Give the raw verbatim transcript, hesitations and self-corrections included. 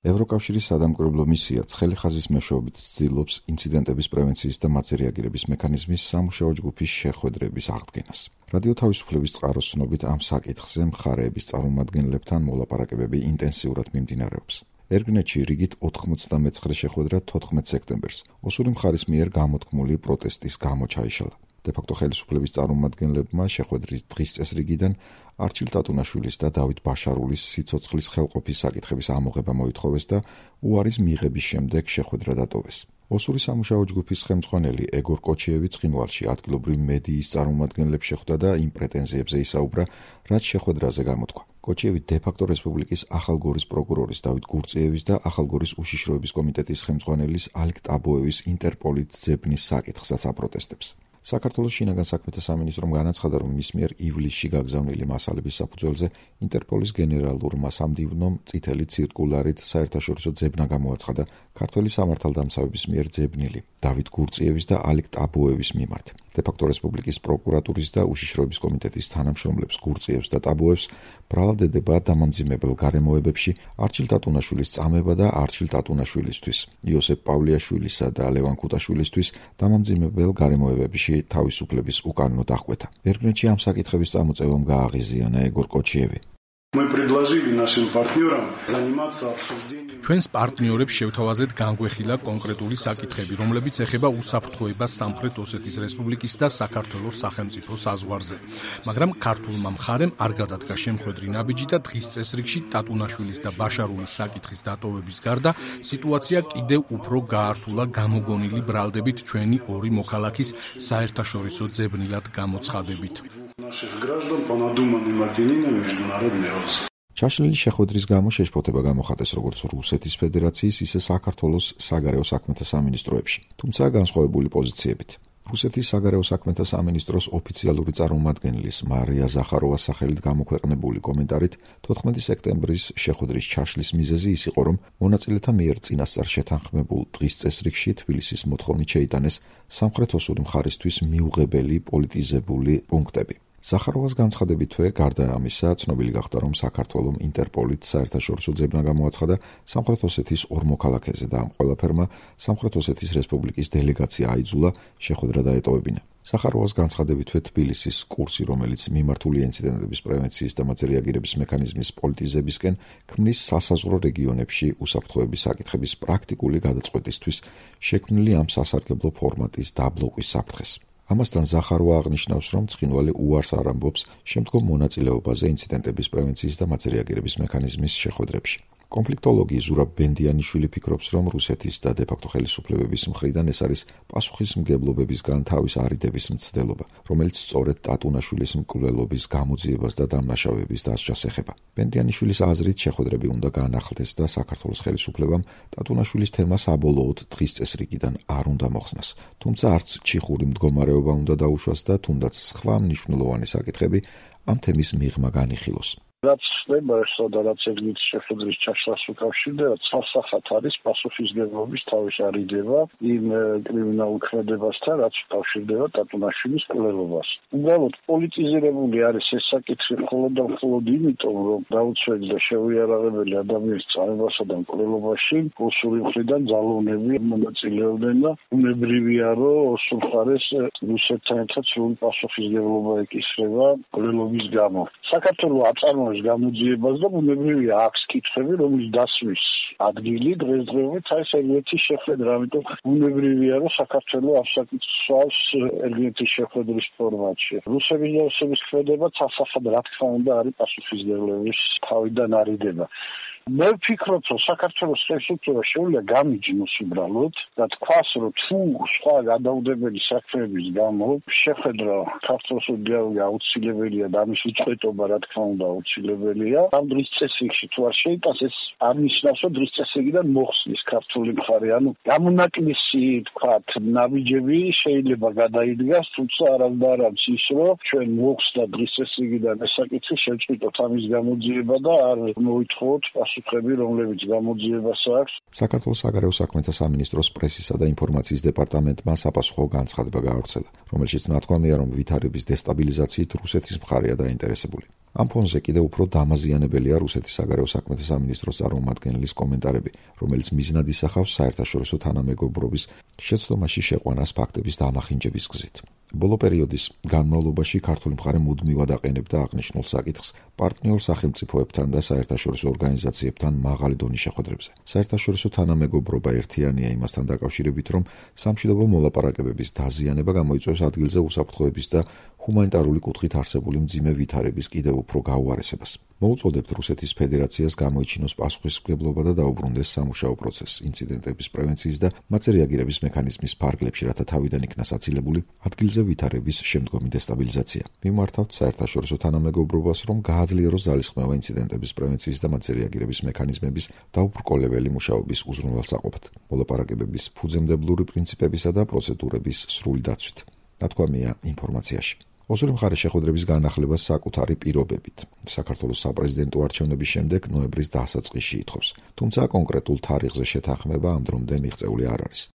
ევროკავშირის სადამკვირვებლო მისია ცხელი ხაზის მეშვეობით ცდილობს ინციდენტების პრევენციის და მათზე რეაგირების მექანიზმის სამუშაო ჯგუფის შეხვედრების აღდგენას. რადიო თავისუფლების წყაროს ცნობით ამ საკითხზე მხარეების წარმომადგენლებთან მოლაპარაკებები ინტენსიურად მიმდინარეობს. ერგნეთში რიგით ოთხმოცდამეცხრე შეხვედრა თოთხმეტ სექტემბერს ოსური მხარის მიერ გამოთქმული პროტესტის გამო ჩაიშალა. დე-ფაქტო ხელისუფლების წარმომადგენლებმა შეხვედრის დღის წესრიგიდან არჩილ ტატუნაშვილის და დავით ბაშარულის სიცოცხლის ხელყოფის საკითხების ამოღება მოითხოვეს და უარის მიღების შემდეგ შეხვედრა დატოვეს. ოსური სამუშაო ჯგუფის ხელმძღვანელი ეგორ კოჩიევი ცხინვალში ადგილობრივ მედიის წარმომადგენლებს შეხვდა და იმ პრეტენზიებზე ისაუბრა, რაც შეხვედრაზე გამოთქვა. კოჩიევი დე-ფაქტო რესპუბლიკის ახალგორის პროკურორის დავით გურწიევის და ახალგორის უშიშროების კომიტეტის ხელმძღვანელის ალიკ ტაბოევის ინტერპოლით ძებნის საკითხსაც აპროტესტებს. საქართველოს შინაგან საქმეთა სამინისტრომ განაცხადა, რომ მის მიერ ივლისში გაგზავნილი მასალების საფუძველზე ინტერპოლის გენერალურმა სამდივნომ წითელი ცირკულარით საერთაშორისო ძებნა გამოაცხადა ქართველი სამართალდამცავების მიერ ძებნილი დავით გურწიევის და ალიკ ტაბოევის მიმართ. დე-ფაქტო რესპუბლიკის პროკურატურის და უშიშროების კომიტეტის თანამშრომლებს გურწიევს და ტაბოევს ბრალად ედება დამამძიმებელ გარემოებებში არჩილ ტატუნაშვილის წამება და არჩილ ტატუნაშვილისთვის, იოსებ პავლიაშვილისა და ლევან ქუტაშვილისთვის დამამძიმებელ გარემოებებში თავისუფლების უკანონო დახკვეთა. ერგნეთში ამ საკითხების წამოწევამ გააღიზიანა ეგორ კოჩიევი. ჩვენს პარტნიორებს შევთავაზეთ განგვეხილა კონკრეტული საკითხები, რომლებიც ეხება უსაფრთხოებას სამხრეთ ოსეთის რესპუბლიკის და საქართველოს სახელმწიფო საზღვარზე. მაგრამ ქართულმა მხარემ არ გადადგა შემხვედრი ნაბიჯი და დღის წესრიგში ტატუნაშვილის და ბაშარულის საკითხის დატოვების გარდა სიტუაცია კიდევ უფრო გაართულა გამოგონილი ბრალდებით ჩვენი ორი მოქალაქის საერთაშორისო ძებნილად გამოცხადებით. ჩაშლილი შეხვედრის გამო შეშფოთება გამოხატეს როგორც რუსეთის ფედერაციის, ისე საქართველოს საგარეო საქმეთა სამინისტროებში, თუმცა განსხვავებული პოზიციებით. რუსეთის საგარეო საქმეთა სამინისტროს ოფიციალური წარმომადგენლის მარია ზახაროვას სახელით გამოქვეყნებული კომენტარით თოთხმეტი სექტემბრის შეხვედრის ჩაშლის მიზეზი ის იყო, რომ მონაწილეთა მიერ წინასწარ შეთანხმებულ დღის წესრიგში თბილისის მოთხოვნით შეიტანეს სამხრეთ ოსური მხარისთვის მიუღებელი პოლიტიზებული პუნქტები. ზახაროვას განცხადებითვე, გარდა ამისა, ცნობილი გახდა, რომ საქართველომ ინტერპოლით საერთაშორისო ძებნა გამოაცხადა სამხრეთ ოსეთის ორ მოქალაქეზე და ამ ყველაფერმა სამხრეთ ოსეთის რესპუბლიკის დელეგაცია აიძულა შეხვედრა დაეტოვებინა. ზახაროვას განცხადებითვე თბილისის კურსი, რომელიც მიმართული ინციდენტების პრევენციის და მათზე რეაგირების მექანიზმის პოლიტიზებისკენ ქმნის სასაზღვრო რეგიონებში უსაფრთხოების საკითხების პრაქტიკული გადაწყვეტისთვის შექმნილი ამ სასარგებლო ფორმატის დაბლოკვის საფრთხეს. ამასთან ზახაროვა აღნიშნავს, რომ ცხინვალი უარს არ ამბობს შემდგომ მონაწილეობაზე ინციდენტების პრევენციის და მათზე რეაგირების მექანიზმის შეხვედრებში. კონფლიქტოლოგი ზურაბ ბენდიანიშვილი ფიქრობს, რომ რუსეთის და დე-ფაქტო ხელისუფლებების მხრიდან ეს არის პასუხისმგებლობებისგან თავის არიდების მცდელობა, რომელიც სწორედ ტატუნაშვილის მკვლელობის გამოძიებას და დამნაშავეების დასჯას ეხება. ბენდიანიშვილის აზრით შეხვედრები უნდა გაანახლდეს და საქართველოს ხელისუფლებამ ტატუნაშვილის თემა საბოლოოდ დღის წესრიგიდან არ უნდა მოხსნას. თუმცა არც ჩიხური მდგომარეობა უნდა დაუშვას და თუნდაც სხვა მნიშვნელოვანი საკითხები ამ თემის მიღმა განიხილოს. რაც ხდება სადაც ეგრეთ შეხვედრის ჩაშლას უკავშირდება, სასახად არის პასუხისმგებლობის თავის არიდება იმ კრიმინალურ ქმედებასთან, რაც უკავშირდება ტატუნაშვილის მკვლელობას. უბრალოდ პოლიტიზირებული არის ეს საკითხი მხოლოდ და მხოლოდ იმიტომ, რომ დაუცველი და შეუიარაღებელი ადამიანის წამებასა და მკვლელობაში ოსური მხრიდან ძალოვნები მონაწილეობდნენ და უნებრივია, რომ ოსურ მხარეს რუსეთთან ერთად სრული პასუხისმგებლობა ეკისრება მკვლელობის გამო. საქართველოს აწარმოებს გამოძიებას და უნებრივია აქვს კითხვები, რომლის დასმის ადგილი დღესდღეობით არის ერგენეთის შეხვედრა, ამიტომ უნებრივია, რომ საქართველოს ამ საკითხს ერგენეთის შეხვედრის ფორმატში. რუსების და ოსების ქმედება სასახად რა თქმა უნდა არის პასუხისმგებლობის თავიდან არიდება. მე ვფიქრობ, რომ საქართველოს ხელისუფლება შეუძლია გამიჯნოს უბრალოდ და თქვას, რომ თუ სხვა გადაუდებელი საქმეების გამო შეხვედრა საქართველოს დიალოგი აუცილებელია და ამის უწყვეტობა რა თქმა უნდა აუცილებელია. ამ დღის წესრიგში თუ არ შეიტანს, ეს არ ნიშნავს, რომ დღის წესრიგიდან მოხსნის ქართული მხარე. ანუ გამონაკლისი თქვათ ნაბიჯები შეიძლება გადაიდგას, თუმცა არასდროს ის, რომ ჩვენ მოხსნა დღის წესრიგიდან ეს საკითხი შევწყვიტოთ ამის გამოძიება და არ მოითხოვოთ რომლებიც გამოძიებას აქვს. საქართველოს საგარეო საქმეთა სამინისტროს პრესისა და ინფორმაციის დეპარტამენტმა საპასუხო განცხადება გაავრცელა, რომელშიც ნათქვამია, რომ ვითარების დესტაბილიზაციით რუსეთის მხარეა დაინტერესებული. ამ ფონზე კიდევ უფრო დამაზიანებელია რუსეთის საგარეო საქმეთა სამინისტროს წარმომადგენლის კომენტარები, რომელიც მიზნად ისახავს საერთაშორისო თანამეგობრობის შეცდომაში შეყვანას ფაქტების დამახინჯების გზით. ბოლო პერიოდის განმავლობაში ქართული მხარე მუდმივად აყენებდა აღნიშნულ საკითხს პარტნიორ სახელმწიფოებთან და საერთაშორისო ორგანიზაციებთან მაღალი დონის შეხვედრებზე. საერთაშორისო თანამეგობრობა ერთიანია იმასთან დაკავშირებით, რომ სამშვიდობო მოლაპარაკებების დაზიანება გამოიწვევს ადგილზე უსაფრთხოების და ჰუმანიტარული კუთხით არსებული მძიმე ვითარების კიდევ უფრო გაუარესებას. მოუწოდებთ რუსეთის ფედერაციას გამოიჩინოს პასუხისმგებლობა და დაუბრუნდეს სამუშაო პროცესს ინციდენტების პრევენციის და მათზე რეაგირების მექანიზმის ფარგლებში, რათა თავიდან იქნას აცილებული ადგილზე ვითარების შემდგომი დესტაბილიზაცია. მიმართავთ საერთაშორისო თანამეგობრობას, რომ გააძლიეროს ძალისხმევა ინციდენტების პრევენციის და მათზე რეაგირების მექანიზმების დაუბრკოლებელი მუშაობის უზრუნველსაყოფად, მოლაპარაკებების ფუძემდებლური პრინციპებისა და პროცედურების სრული დაცვით. ნათქვამია ინფორმაციაში. ოსური მხარის შეხვედრების განახლებას საკუთარი პირობებით საქართველოს საპრეზიდენტო არჩევნების შემდეგ ნოემბრის დასაწყისში ითხოვს, თუმცა კონკრეტულ თარიღზე შეთანხმება ამ დრომდე მიღწეული არ არის.